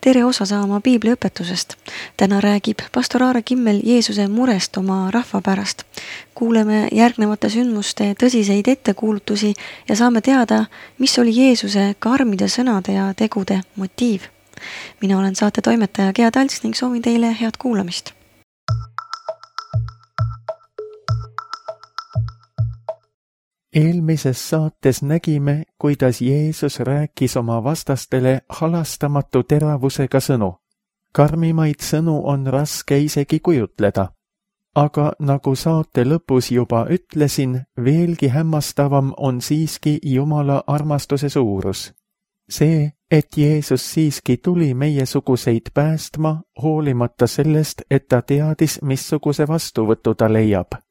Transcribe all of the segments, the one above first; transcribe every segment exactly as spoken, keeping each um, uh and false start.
tere osa saama piibliõpetusest. Täna räägib pastor Aare Kimmel Jeesuse murest oma rahva pärast. Kuuleme järgnevate sündmuste tõsiseid ettekuulutusi ja saame teada, mis oli Jeesuse karmide sõnade ja tegude motiiv. Mina olen saate toimetaja Gea Talts ning soovin teile head kuulamist. Eelmises saates nägime, kuidas Jeesus rääkis oma vastastele halastamatu teravusega sõnu. Karmimaid sõnu on raske isegi kujutleda. Aga nagu saate lõpus juba ütlesin, veelgi hämmastavam on siiski Jumala armastuse suurus. See, et Jeesus siiski tuli meiesuguseid päästma, hoolimata sellest, et ta teadis, missuguse vastuvõtu ta leiab.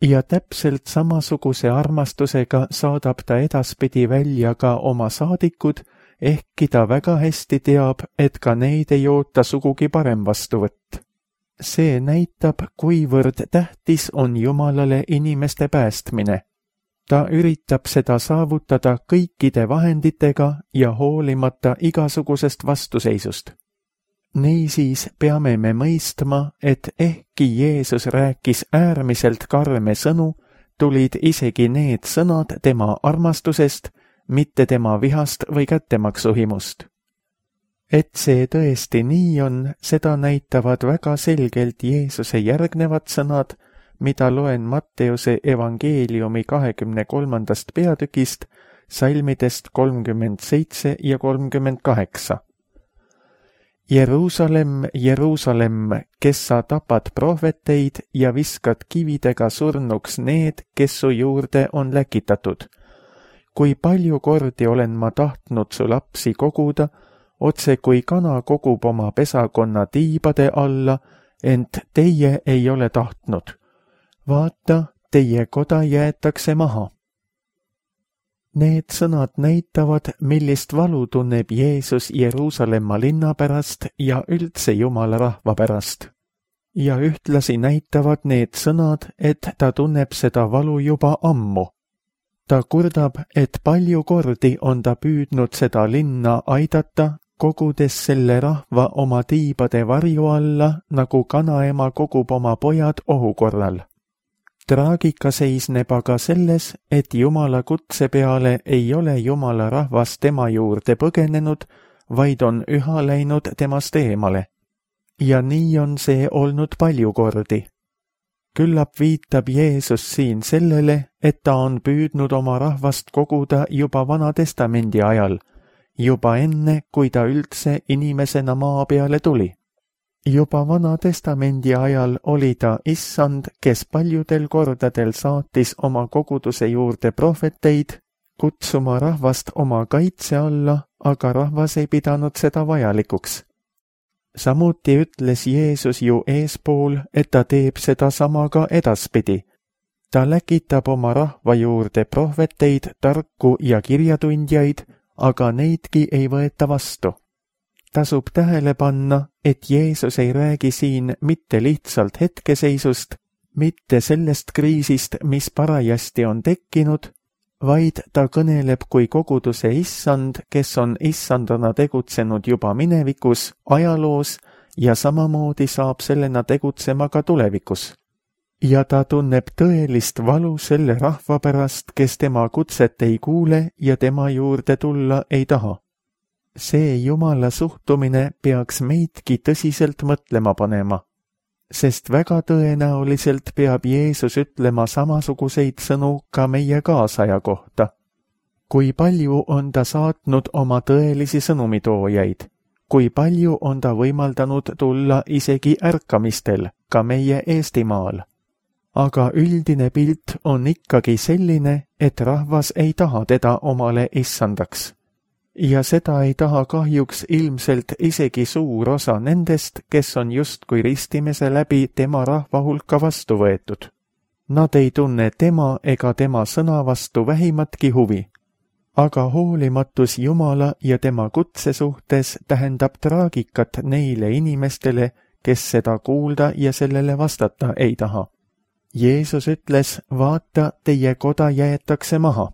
Ja täpselt samasuguse armastusega saadab ta edaspidi välja ka oma saadikud, ehkki ta väga hästi teab, et ka neid ei oota sugugi parem vastuvõtt. See näitab, kuivõrd tähtis on Jumalale inimeste päästmine. Ta üritab seda saavutada kõikide vahenditega ja hoolimata igasugusest vastuseisust. Niisiis peame me mõistma, et ehkki Jeesus rääkis äärmiselt karme sõnu, tulid isegi need sõnad tema armastusest, mitte tema vihast või kättemaksuhimust. Et see tõesti nii on, seda näitavad väga selgelt Jeesuse järgnevad sõnad, mida loen Matteuse evangeeliumi kahekümne kolmandast peatükist, salmidest kolmkümmend seitse ja kolmkümmend kaheksa. Jeruusalemm, Jeruusalemm, kes sa tapad prohveteid ja viskad kividega surnuks need, kes su juurde on läkitatud. Kui palju kordi olen ma tahtnud su lapsi koguda, otse kui kana kogub oma pesakonna tiibade alla, ent teie ei ole tahtnud. Vaata, teie koda jäetakse maha. Need sõnad näitavad, millist valu tunneb Jeesus Jeruusalemma linna pärast ja üldse Jumala rahva pärast. Ja ühtlasi näitavad need sõnad, et ta tunneb seda valu juba ammu. Ta kurdab, et palju kordi on ta püüdnud seda linna aidata, kogudes selle rahva oma tiibade varju alla, nagu kanaema kogub oma pojad ohu korral. Traagika seisneb aga selles, et Jumala kutse peale ei ole Jumala rahvas tema juurde põgenenud, vaid on üha läinud temast eemale. Ja nii on see olnud palju kordi. Küllap viitab Jeesus siin sellele, et ta on püüdnud oma rahvast koguda juba Vana Testamendi ajal, juba enne, kui ta üldse inimesena maa peale tuli. Juba Vana Testamendi ajal oli ta issand, kes paljudel kordadel saatis oma koguduse juurde prohveteid, kutsuma rahvast oma kaitse alla, aga rahvas ei pidanud seda vajalikuks. Samuti ütles Jeesus ju eespool, et ta teeb seda sama ka edaspidi. Ta läkitab oma rahva juurde prohveteid, tarku ja kirjatundjaid, aga neidki ei võeta vastu. Tasub tähele panna, et Jeesus ei räägi siin mitte lihtsalt hetkeseisust, mitte sellest kriisist, mis parajasti on tekkinud, vaid ta kõneleb kui koguduse issand, kes on issandana tegutsenud juba minevikus, ajaloos ja samamoodi saab sellena tegutsema ka tulevikus. Ja ta tunneb tõelist valu selle rahva pärast, kes tema kutset ei kuule ja tema juurde tulla ei taha. See Jumala suhtumine peaks meidki tõsiselt mõtlema panema, sest väga tõenäoliselt peab Jeesus ütlema samasuguseid sõnu ka meie kaasaja kohta. Kui palju on ta saatnud oma tõelisi sõnumitoojaid, kui palju on ta võimaldanud tulla isegi ärkamistel, ka meie Eestimaal. Aga üldine pilt on ikkagi selline, et rahvas ei taha teda omale issandaks. Ja seda ei taha kahjuks ilmselt isegi suur osa nendest, kes on justkui ristimese läbi tema rahva hulka vastu võetud. Nad ei tunne tema ega tema sõna vastu vähimatki huvi. Aga hoolimatus Jumala ja tema kutse suhtes tähendab traagikat neile inimestele, kes seda kuulda ja sellele vastata ei taha. Jeesus ütles, vaata, teie koda jäetakse maha.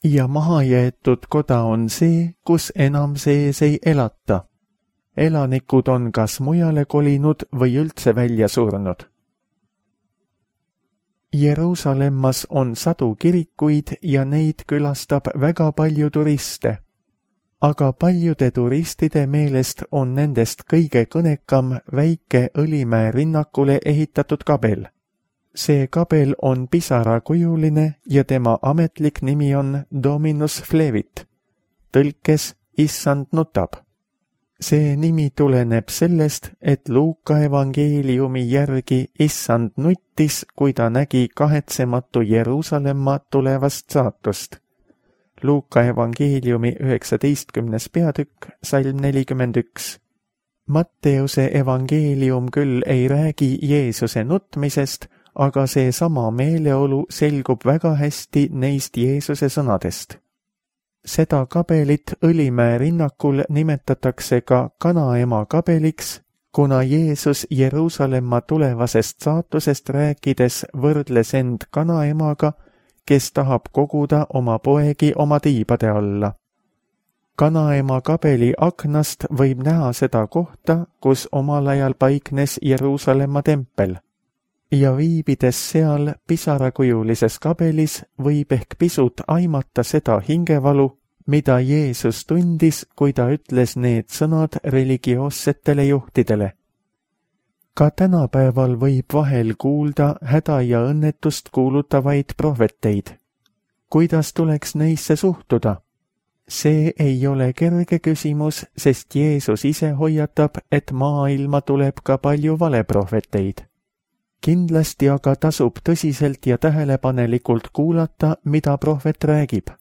Ja mahajäetud koda on see, kus enam sees ei elata. elanikud on kas mujale kolinud või üldse välja surnud. Jeruusalemmas on sadu kirikuid ja neid külastab väga palju turiste. Aga paljude turistide meelest on nendest kõige kõnekam väike Õlimäe rinnakule ehitatud kabel. See kabel on pisarakujuline ja tema ametlik nimi on Dominus Flevit, tõlkes Issand nutab. See nimi tuleneb sellest, et Luuka evangeeliumi järgi Issand nuttis, kui ta nägi kahetsematu Jeruusalemma tulevast saatust. Luuka evangeeliumi üheksateistkümnes peatükk, salm nelikümmend üks. Matteuse evangeelium küll ei räägi Jeesuse nutmisest, aga see sama meeleolu selgub väga hästi neist Jeesuse sõnadest. Seda kabelit Õlimäe rinnakul nimetatakse ka Kanaema kabeliks, kuna Jeesus Jeruusalemma tulevasest saatusest rääkides võrdles end Kanaemaga, kes tahab koguda oma poegi oma tiibade alla. Kanaema kabeli aknast võib näha seda kohta, kus omal ajal paiknes Jeruusalemma tempel. Ja viibides seal pisarakujulises kabelis võib ehk pisut aimata seda hingevalu, mida Jeesus tundis, kui ta ütles need sõnad religioossetele juhtidele. Ka tänapäeval võib vahel kuulda häda ja õnnetust kuulutavaid prohveteid. Kuidas tuleks neisse suhtuda? See ei ole kerge küsimus, sest Jeesus ise hoiatab, et maailma tuleb ka palju valeprohveteid. Kindlasti aga tasub tõsiselt ja tähelepanelikult kuulata, mida prohvet räägib.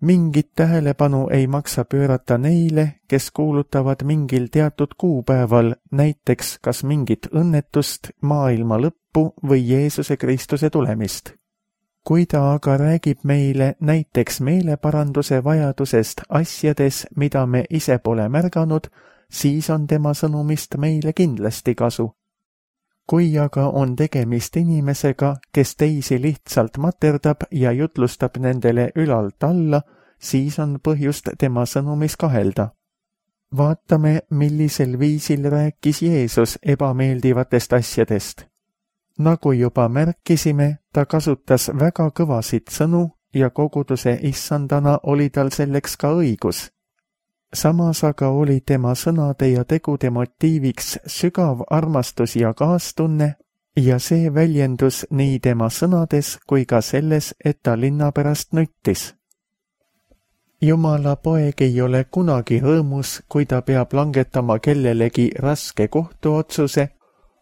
Mingit tähelepanu ei maksa pöörata neile, kes kuulutavad mingil teatud kuupäeval, näiteks kas mingit õnnetust, maailma lõppu või Jeesuse Kristuse tulemist. Kui ta aga räägib meile näiteks meeleparanduse vajadusest asjades, mida me ise pole märganud, siis on tema sõnumist meile kindlasti kasu. Kui aga on tegemist inimesega, kes teisi lihtsalt materdab ja jutlustab nendele ülalt alla, siis on põhjust tema sõnumis kahelda. Vaatame, millisel viisil rääkis Jeesus ebameeldivatest asjadest. Nagu juba märkisime, ta kasutas väga kõvasid sõnu ja koguduse issandana oli tal selleks ka õigus. Samas aga oli tema sõnade ja tegude motiiviks sügav armastus ja kaastunne ja see väljendus nii tema sõnades kui ka selles, et ta linna pärast nuttis. Jumala poeg ei ole kunagi rõõmus, kui ta peab langetama kellelegi raske kohtuotsuse,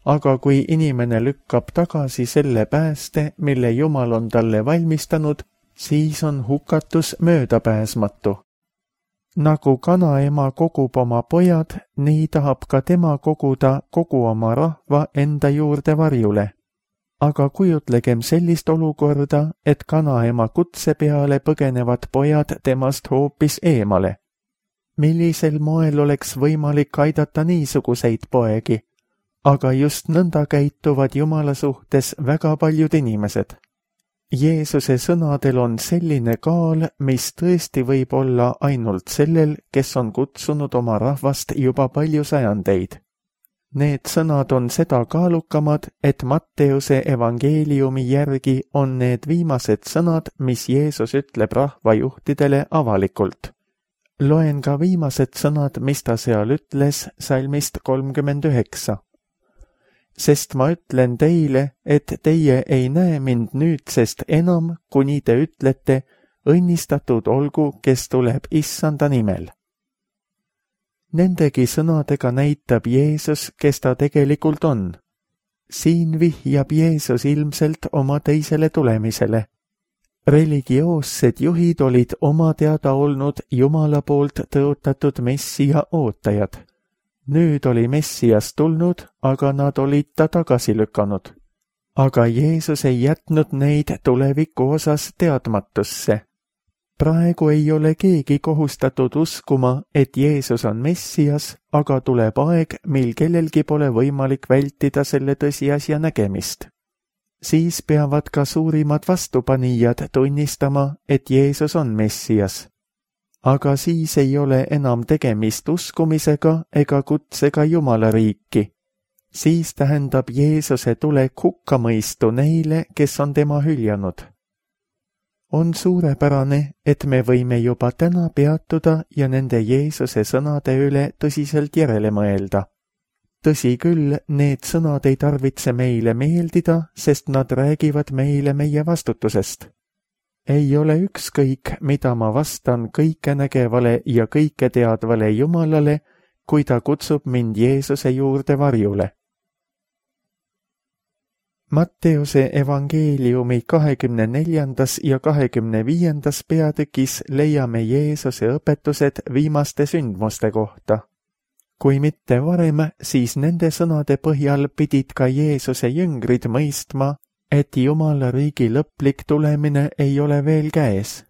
aga kui inimene lükkab tagasi selle pääste, mille Jumal on talle valmistanud, siis on hukatus möödapääsmatu. Nagu kanaema kogub oma pojad, nii tahab ka tema koguda kogu oma rahva enda juurde varjule. Aga kujutlegem sellist olukorda, et kanaema kutse peale põgenevad pojad temast hoopis eemale. Millisel moel oleks võimalik aidata niisuguseid poegi? Aga just nõnda käituvad Jumala suhtes väga paljud inimesed. Jeesuse sõnadel on selline kaal, mis tõesti võib olla ainult sellel, kes on kutsunud oma rahvast juba palju sajandeid. Need sõnad on seda kaalukamad, et Matteuse evangeeliumi järgi on need viimased sõnad, mis Jeesus ütleb rahvajuhtidele avalikult. Loen ka viimased sõnad, mis ta seal ütles salmist kolmkümmend üheksa. Sest ma ütlen teile, et teie ei näe mind nüüdsest enam, kuni te ütlete, õnnistatud olgu, kes tuleb issanda nimel. Nendegi sõnadega näitab Jeesus, kes ta tegelikult on. Siin vihjab Jeesus ilmselt oma teisele tulemisele. Religioossed juhid olid oma teada olnud Jumala poolt tõotatud Messia ootajad. Nüüd oli Messias tulnud, aga nad olid ta tagasi lükanud. Aga Jeesus ei jätnud neid tuleviku osas teadmatusse. Praegu ei ole keegi kohustatud uskuma, et Jeesus on Messias, aga tuleb aeg, mil kellelgi pole võimalik vältida selle tõsiasja nägemist. Siis peavad ka suurimad vastupanijad tunnistama, et Jeesus on Messias. aga siis ei ole enam tegemist uskumisega ega kutsega Jumala riiki. Siis tähendab Jeesuse tulek hukkamõistu neile, kes on tema hüljanud. On suurepärane, et me võime juba täna peatuda ja nende Jeesuse sõnade üle tõsiselt järele mõelda. Tõsi küll, need sõnad ei tarvitse meile meeldida, sest nad räägivad meile meie vastutusest. Ei ole ükskõik, mida ma vastan kõikenägevale ja kõike teadvale Jumalale, kui ta kutsub mind Jeesuse juurde varjule. Matteuse evangeeliumi kahekümne neljandas ja kahekümne viiendas peatükis leiame Jeesuse õpetused viimaste sündmuste kohta. Kui mitte varem, siis nende sõnade põhjal pidid ka Jeesuse jüngrid mõistma, et Jumala riigi lõplik tulemine ei ole veel käes.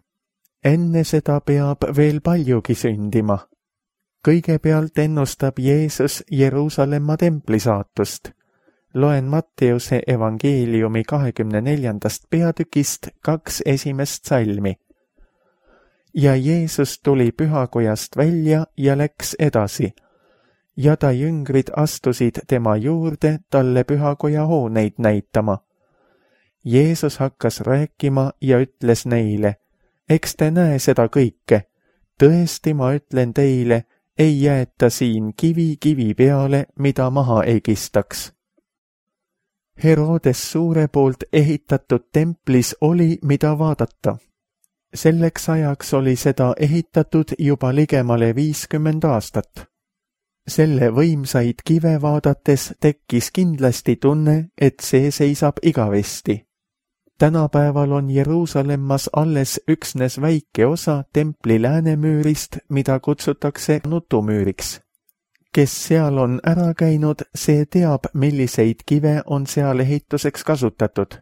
Enne seda peab veel paljugi sündima. Kõigepealt ennustab Jeesus Jeruusalemma templi saatust. Loen Matteuse evangeeliumi kahekümne neljandast peatükist kaks esimest salmi. Ja Jeesus tuli pühakojast välja ja läks edasi. Ja ta jüngrid astusid tema juurde talle pühakoja hooneid näitama. Jeesus hakkas rääkima ja ütles neile, eks te näe seda kõike. Tõesti ma ütlen teile, ei jäeta siin kivi kivi peale, mida maha ei kistaks. Herodes suure poolt ehitatud templis oli, mida vaadata. Selleks ajaks oli seda ehitatud juba ligemale viiskümmend aastat. Selle võimsaid kive vaadates tekkis kindlasti tunne, et see seisab igavesti. Tänapäeval on Jeruusalemmas alles üksnes väike osa templi läänemüürist, mida kutsutakse nutumüüriks. Kes seal on ära käinud, see teab, milliseid kive on seal ehituseks kasutatud.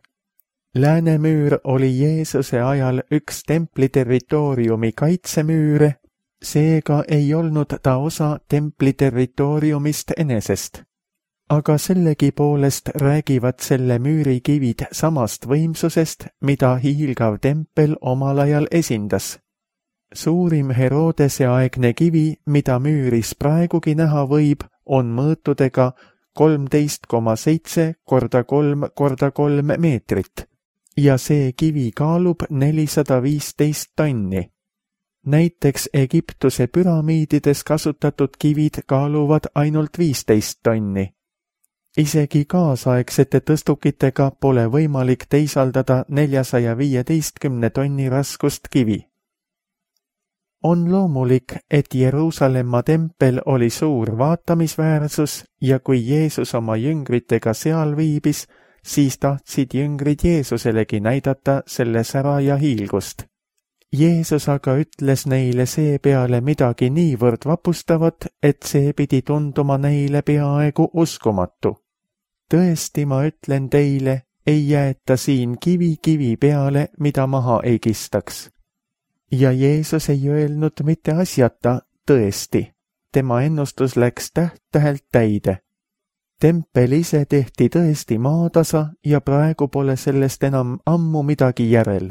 Läänemüür oli Jeesuse ajal üks templi territooriumi kaitsemüüre, seega ei olnud ta osa templi territooriumist enesest. Aga sellegipoolest räägivad selle müüri kivid samast võimsusest, mida hiilgav tempel omal ajal esindas. Suurim Herodese aegne kivi, mida müüris praegugi näha võib, on mõõtudega kolmteist koma seitse korda kolm korda kolm meetrit ja see kivi kaalub nelisada viisteist tonni. Näiteks Egiptuse püramiidides kasutatud kivid kaaluvad ainult viisteist tonni. Isegi kaasaegsete tõstukitega pole võimalik teisaldada neljasaja viieteistkümne tonni raskust kivi. On loomulik, et Jeruusalemma tempel oli suur vaatamisväärsus ja kui Jeesus oma jüngritega seal viibis, siis tahtsid jüngrid Jeesuselegi näidata selle sära ja hiilgust. Jeesus aga ütles neile seepeale midagi niivõrd vapustavat, et see pidi tunduma neile peaaegu uskumatu. Tõesti, ma ütlen teile, ei jäeta siin kivi kivi peale, mida maha ei kistaks. Ja Jeesus ei öelnud mitte asjata, tõesti. Tema ennustus läks täht-tähelt täide. Tempel ise tehti tõesti maatasa ja praegu pole sellest enam ammu midagi järel.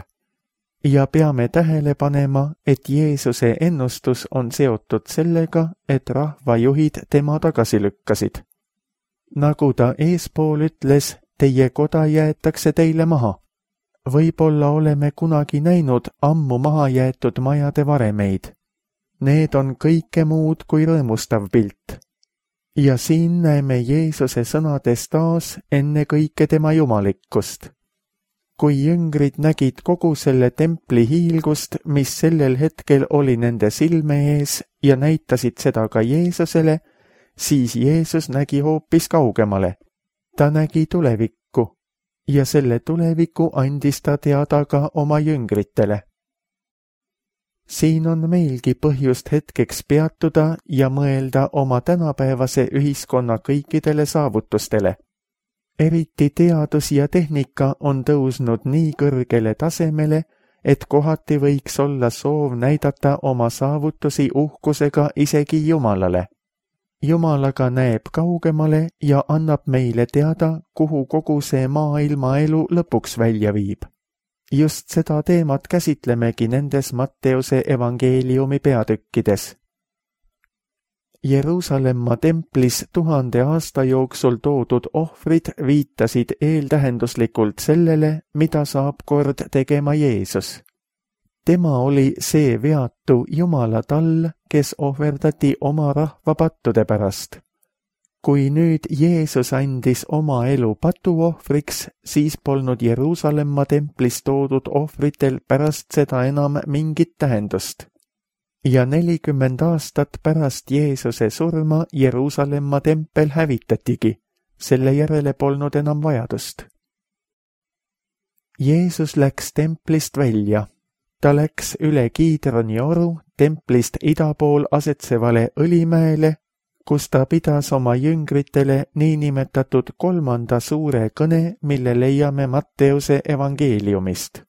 Ja peame tähele panema, et Jeesuse ennustus on seotud sellega, et rahvajuhid tema tagasi lükkasid. Nagu ta eespool ütles, teie koda jäetakse teile maha. Võib-olla oleme kunagi näinud ammu maha jäetud majade varemeid. Need on kõike muud kui rõõmustav pilt. Ja siin näeme Jeesuse sõnades taas enne kõike tema jumalikkust. Kui jüngrid nägid kogu selle templi hiilgust, mis sellel hetkel oli nende silme ees ja näitasid seda ka Jeesusele, siis Jeesus nägi hoopis kaugemale. Ta nägi tulevikku ja selle tuleviku andis ta teada ka oma jüngritele. Siin on meilgi põhjust hetkeks peatuda ja mõelda oma tänapäevase ühiskonna kõikidele saavutustele. Eriti teadus ja tehnika on tõusnud nii kõrgele tasemele, et kohati võiks olla soov näidata oma saavutusi uhkusega isegi Jumalale. Jumal aga näeb kaugemale ja annab meile teada, kuhu kogu see maailma elu lõpuks välja viib. Just seda teemat käsitlemegi nendes Matteuse evangeeliumi peatükkides. Jeruusalemma templis tuhande aasta jooksul toodud ohvrid viitasid eeltähenduslikult sellele, mida saab kord tegema Jeesus. Tema oli see veatu Jumala tall, kes ohverdati oma rahva pattude pärast. Kui nüüd Jeesus andis oma elu patuohvriks, siis polnud Jeruusalemma templis toodud ohvritel pärast seda enam mingit tähendust. Ja nelikümmend aastat pärast Jeesuse surma Jeruusalemma tempel hävitatigi, selle järele polnud enam vajadust. Jeesus läks templist välja. Ta läks üle Kiidroni oru templist ida pool asetsevale Õlimäele, kus ta pidas oma jüngritele niinimetatud kolmanda suure kõne, mille leiame Matteuse evangeeliumist.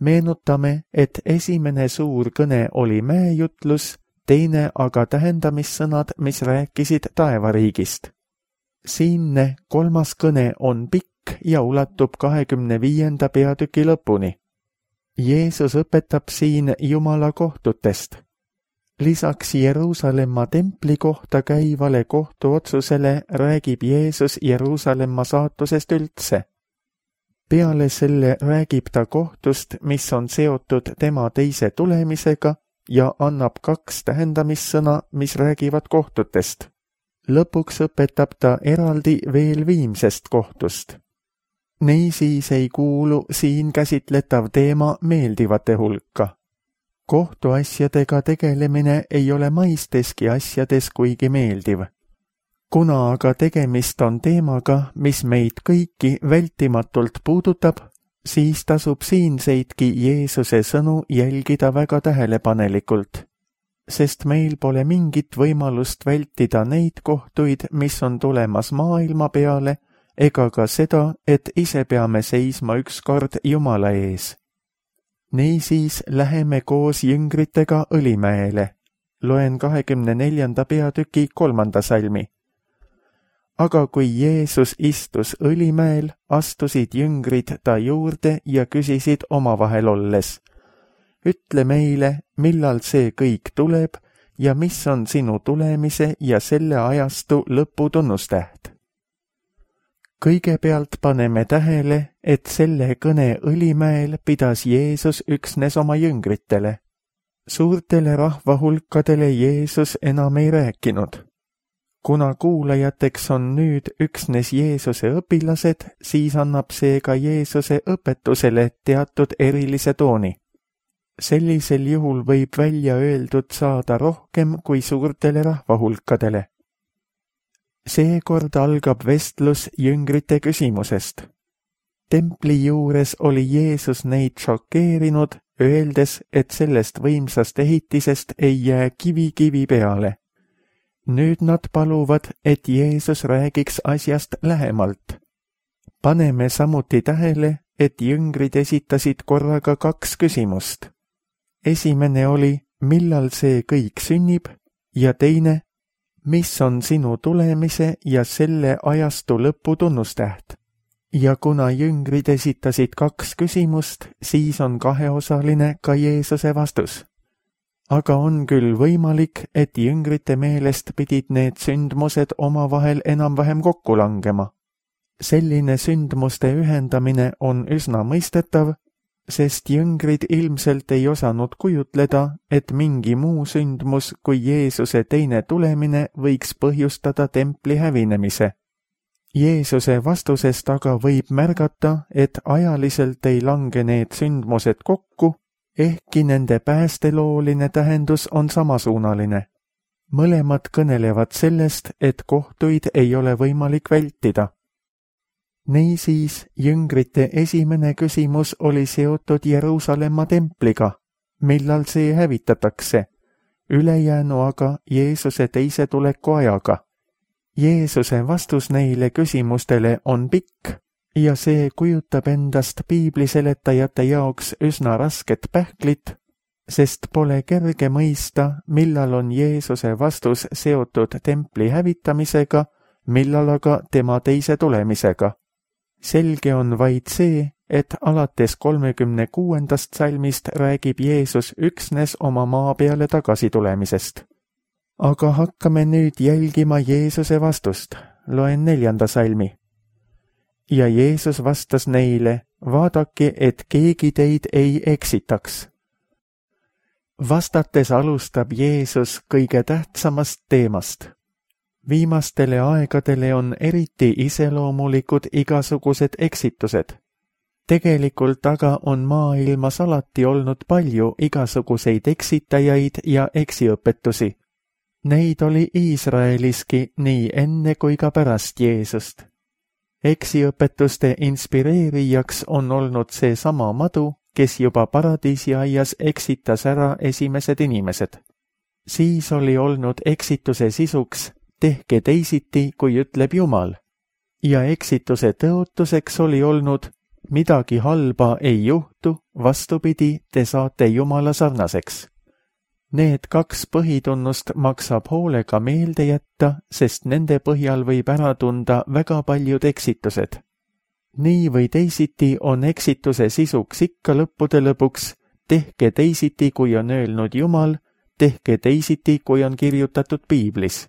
Meenutame, et esimene suur kõne oli mäejutlus, teine aga tähendamissõnad, mis rääkisid taevariigist. Siinne kolmas kõne on pikk ja ulatub kahekümne viienda peatüki lõpuni. Jeesus õpetab siin Jumala kohtutest. Lisaks Jeruusalemma templi kohta käivale kohtuotsusele räägib Jeesus Jeruusalemma saatusest üldse. Peale selle räägib ta kohtust, mis on seotud tema teise tulemisega ja annab kaks tähendamissõna, mis räägivad kohtutest. Lõpuks õpetab ta eraldi veel viimsest kohtust. Niisiis ei kuulu siin käsitletav teema meeldivate hulka. Kohtuasjadega tegelemine ei ole maisteski asjades kuigi meeldiv. Kuna aga tegemist on teemaga, mis meid kõiki vältimatult puudutab, siis tasub siinseidki Jeesuse sõnu jälgida väga tähelepanelikult, sest meil pole mingit võimalust vältida neid kohtuid, mis on tulemas maailma peale, ega ka seda, et ise peame seisma ükskord Jumala ees. Niisiis läheme koos jüngritega Õlimäele. Loen kahekümne neljanda peatüki kolmanda salmi. Aga kui Jeesus istus Õlimäel, astusid jüngrid ta juurde ja küsisid omavahel olles: Ütle meile, millal see kõik tuleb ja mis on sinu tulemise ja selle ajastu lõputunnustäht? Kõigepealt paneme tähele, et selle kõne Õlimäel pidas Jeesus üksnes oma jüngritele. Suurtele rahvahulkadele Jeesus enam ei rääkinud. Kuna kuulajateks on nüüd üksnes Jeesuse õpilased, siis annab see ka Jeesuse õpetusele teatud erilise tooni. Sellisel juhul võib välja öeldud saada rohkem kui suurtele rahvahulkadele. Seekord algab vestlus jüngrite küsimusest. Templi juures oli Jeesus neid šokeerinud, öeldes, et sellest võimsast ehitisest ei jää kivi kivi peale. Nüüd nad paluvad, et Jeesus räägiks asjast lähemalt. Paneme samuti tähele, et jüngrid esitasid korraga kaks küsimust. Esimene oli, millal see kõik sünnib, ja teine, mis on sinu tulemise ja selle ajastu lõpu tunnustäht. Ja kuna jüngrid esitasid kaks küsimust, siis on kaheosaline ka Jeesuse vastus. Aga on küll võimalik, et jüngrite meelest pidid need sündmused omavahel enam-vähem kokku langema. Selline sündmuste ühendamine on üsna mõistetav, sest jüngrid ilmselt ei osanud kujutleda, et mingi muu sündmus kui Jeesuse teine tulemine võiks põhjustada templi hävinemise. Jeesuse vastusest aga võib märgata, et ajaliselt ei lange need sündmused kokku, ehkki nende päästelooline tähendus on samasuunaline. Mõlemad kõnelevad sellest, et kohtuid ei ole võimalik vältida. Niisiis, jüngrite esimene küsimus oli seotud Jeruusalemma templiga, millal see hävitatakse, ülejäänu aga Jeesuse teise tuleku ajaga. Jeesuse vastus neile küsimustele on pikk ja see kujutab endast piibliseletajate jaoks üsna rasket pähklit, sest pole kerge mõista, millal on Jeesuse vastus seotud templi hävitamisega, millal aga tema teise tulemisega. Selge on vaid see, et alates kolmekümne kuuendast salmist räägib Jeesus üksnes oma maa peale tagasi tulemisest. Aga hakkame nüüd jälgima Jeesuse vastust. Loen neljanda salmi. Ja Jeesus vastas neile, vaadake, et keegi teid ei eksitaks. Vastates alustab Jeesus kõige tähtsamast teemast. Viimastele aegadele on eriti iseloomulikud igasugused eksitused. Tegelikult aga on maailmas alati olnud palju igasuguseid eksitajaid ja eksiõpetusi. Neid oli Iisraeliski nii enne kui ka pärast Jeesust. Eksiõpetuste inspireerijaks on olnud see sama madu, kes juba paradiisiaias eksitas ära esimesed inimesed. Siis oli olnud eksituse sisuks, tehke teisiti, kui ütleb Jumal. Ja eksituse tõotuseks oli olnud, midagi halba ei juhtu, vastupidi, te saate Jumala sarnaseks. Need kaks põhitunnust maksab hoolega meelde jätta, sest nende põhjal võib ära tunda väga paljud eksitused. Nii või teisiti on eksituse sisuks ikka lõppude lõpuks, tehke teisiti, kui on öelnud Jumal, tehke teisiti, kui on kirjutatud Piiblis.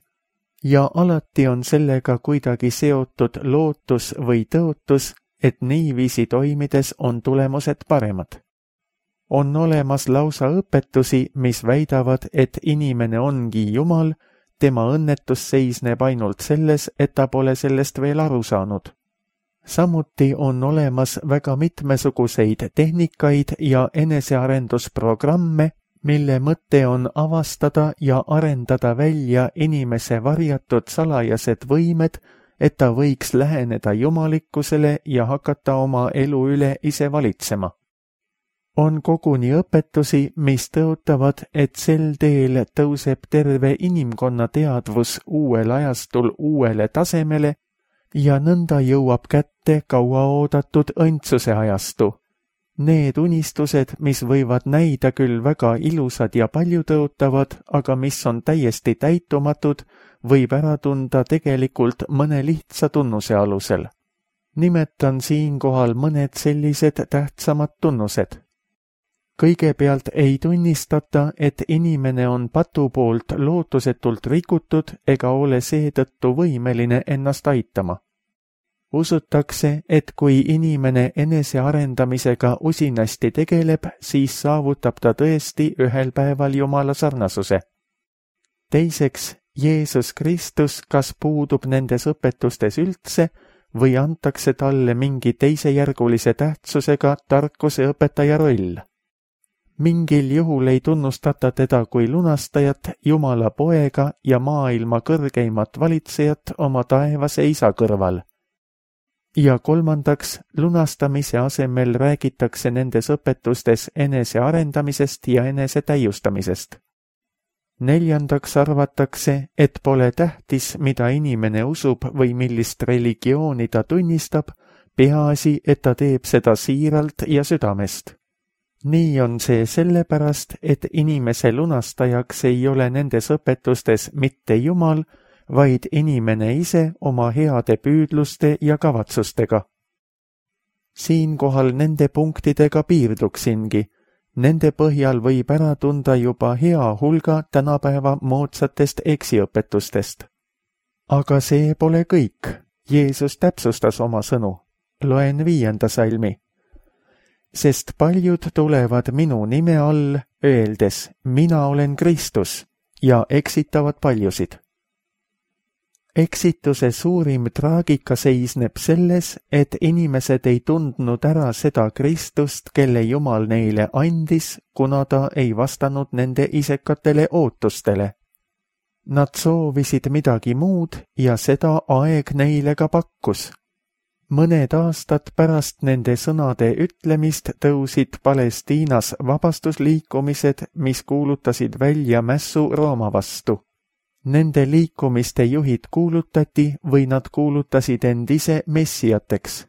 Ja alati on sellega kuidagi seotud lootus või tõotus, et niiviisi toimides on tulemused paremad. On olemas lausa õpetusi, mis väidavad, et inimene ongi Jumal, tema õnnetus seisneb ainult selles, et ta pole sellest veel aru saanud. Samuti on olemas väga mitmesuguseid tehnikaid ja enesearendusprogramme, mille mõte on avastada ja arendada välja inimese varjatud salajased võimed, et ta võiks läheneda jumalikkusele ja hakata oma elu üle ise valitsema. On koguni õpetusi, mis tõotavad, et sel teel tõuseb terve inimkonna teadvus uuel ajastul uuele tasemele ja nõnda jõuab kätte kauaoodatud õndsuse ajastu. Need unistused, mis võivad näida küll väga ilusad ja paljutõotavad, aga mis on täiesti täitumatud, võib ära tunda tegelikult mõne lihtsa tunnuse alusel. Nimetan siinkohal mõned sellised tähtsamad tunnused. Kõigepealt ei tunnistata, et inimene on patu poolt lootusetult rikutud ega ole seetõttu võimeline ennast aitama. Usutakse, et kui inimene enesearendamisega usinasti tegeleb, siis saavutab ta tõesti ühel päeval Jumala sarnasuse. Teiseks, Jeesus Kristus kas puudub nendes õpetustes üldse või antakse talle mingi teisejärgulise tähtsusega tarkuse õpetaja roll. Mingil juhul ei tunnustata teda kui lunastajat, Jumala poega ja maailma kõrgeimat valitsejat oma taevase isa kõrval. Ja kolmandaks, lunastamise asemel räägitakse nendes õpetustes enese arendamisest ja enese täiustamisest. Neljandaks arvatakse, et pole tähtis, mida inimene usub või millist religiooni ta tunnistab, peaasi, et ta teeb seda siiralt ja südamest. Nii on see sellepärast, et inimese lunastajaks ei ole nendes õpetustes mitte Jumal, vaid inimene ise oma heade püüdluste ja kavatsustega. Siinkohal nende punktidega piirduksingi. Nende põhjal võib ära tunda juba hea hulga tänapäeva moodsatest eksiõpetustest. Aga see pole kõik. Jeesus täpsustas oma sõnu. Loen viienda salmi. Sest paljud tulevad minu nime all, öeldes, mina olen Kristus, ja eksitavad paljusid. Eksituse suurim traagika seisneb selles, et inimesed ei tundnud ära seda Kristust, kelle Jumal neile andis, kuna ta ei vastanud nende isekatele ootustele. Nad soovisid midagi muud ja seda aeg neile ka pakkus. Mõned aastad pärast nende sõnade ütlemist tõusid Palestiinas vabastusliikumised, mis kuulutasid välja mässu Rooma vastu. Nende liikumiste juhid kuulutati või nad kuulutasid end ise messiateks.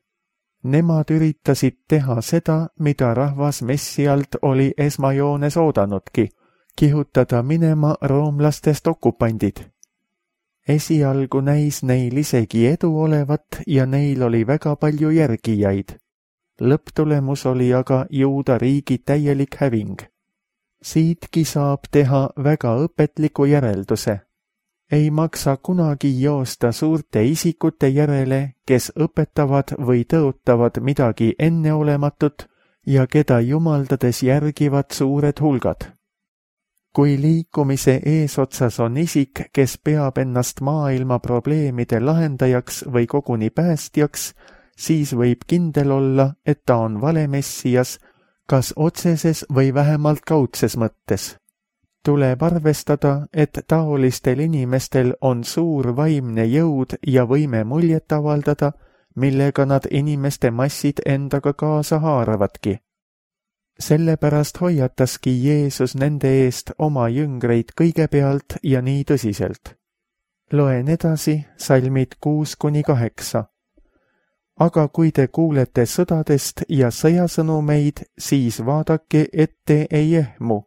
Nemad üritasid teha seda, mida rahvas messialt oli esmajoones oodanudki, kihutada minema roomlastest okupandid. Esialgu näis neil isegi edu olevat ja neil oli väga palju järgijaid. Lõpptulemus oli aga Juuda riigi täielik häving. Siitki saab teha väga õpetliku järelduse. Ei maksa kunagi joosta suurte isikute järele, kes õpetavad või tõotavad midagi enneolematut ja keda jumaldades järgivad suured hulgad. Kui liikumise eesotsas on isik, kes peab ennast maailma probleemide lahendajaks või koguni päästjaks, siis võib kindel olla, et ta on vale messias, kas otseses või vähemalt kaudses mõttes. Tuleb arvestada, et taolistel inimestel on suur vaimne jõud ja võime muljet avaldada, millega nad inimeste massid endaga kaasa haaravadki. Sellepärast hoiataski Jeesus nende eest oma jüngreid kõigepealt ja nii tõsiselt. Loen edasi salmid kuus kuni kaheksa. Aga kui te kuulete sõdadest ja sõjasõnumeid, siis vaadake, et te ei ehmu,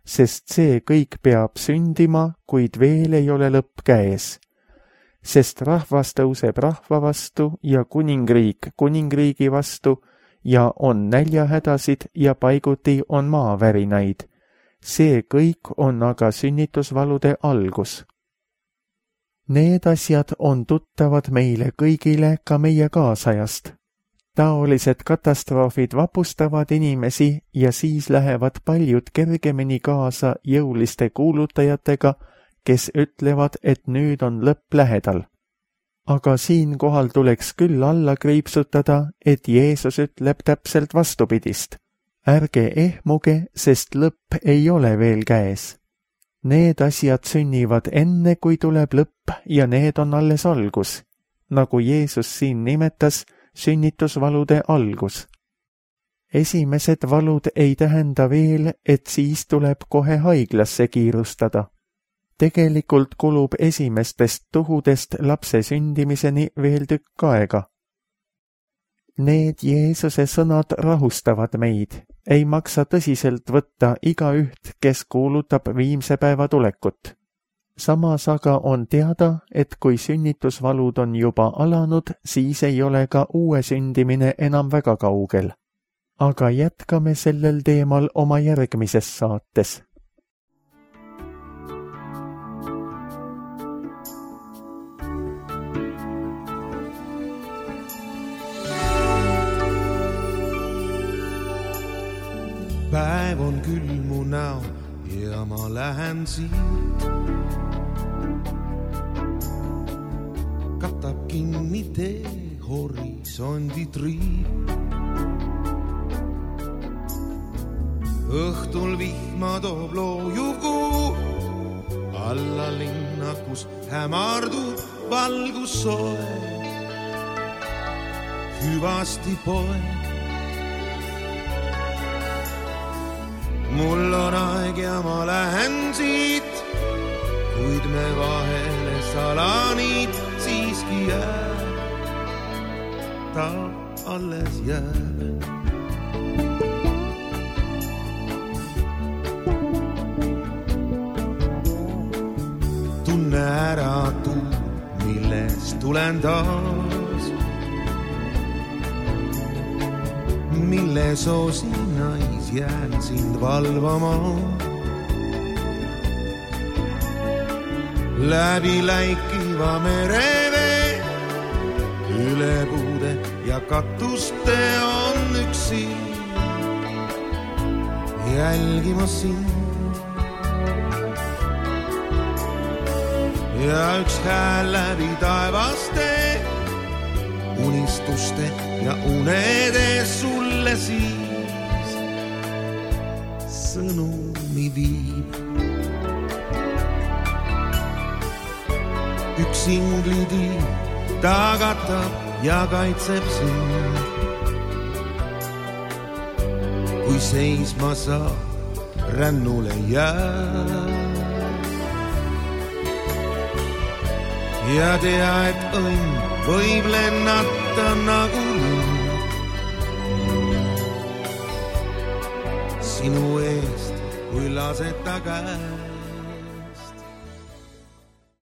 sest see kõik peab sündima, kuid veel ei ole lõpp käes. Sest rahvas tõuseb rahva vastu ja kuningriik kuningriigi vastu ja on näljahädasid ja paiguti on maavärinaid. See kõik on aga sünnitusvalude algus. Need asjad on tuttavad meile kõigile ka meie kaasajast. Taolised katastroofid vapustavad inimesi ja siis lähevad paljud kergemini kaasa jõuliste kuulutajatega, kes ütlevad, et nüüd on lõpp lähedal. Aga siinkohal tuleks küll alla kriipsutada, et Jeesus ütleb täpselt vastupidist. Ärge ehmuge, sest lõpp ei ole veel käes. Need asjad sünnivad enne, kui tuleb lõpp ja need on alles algus, nagu Jeesus siin nimetas sünnitusvalude algus. Esimesed valud ei tähenda veel, et siis tuleb kohe haiglasse kiirustada. Tegelikult kulub esimestest tuhudest lapse sündimiseni veel tükk aega. Need Jeesuse sõnad rahustavad meid. Ei maksa tõsiselt võtta igaüht, kes kuulutab viimse päeva tulekut. Samas aga on teada, et kui sünnitusvalud on juba alanud, siis ei ole ka uue sündimine enam väga kaugel. Aga jätkame sellel teemal oma järgmises saates. Päev on küll mu näo ja ma lähen siit. Katab kinni tee horisondi triip. Õhtul vihma toob loojugu alla linna, kus hämardub valgus soe. Hüvasti poeg. Mul on aeg ja ma lähen siit, kuid me vahele salaniid siiski jääb, ta alles jääb. Tunne ära tuu, millest tulen taas, milles osinais jään sind valvama. Läbi läikiva merevee, üle puude ja katuste on üks silm jälgimas sind. Ja üks hääl läbi taevaste, unistuste ja unede sulle siis sõnumi viib. Üks inglitiiv tagatab ja kaitseb sind, kui seisma saab, rännule jää. Ja tea, et õnn võib lennata nagu lund sinu eest, kui laseta käe.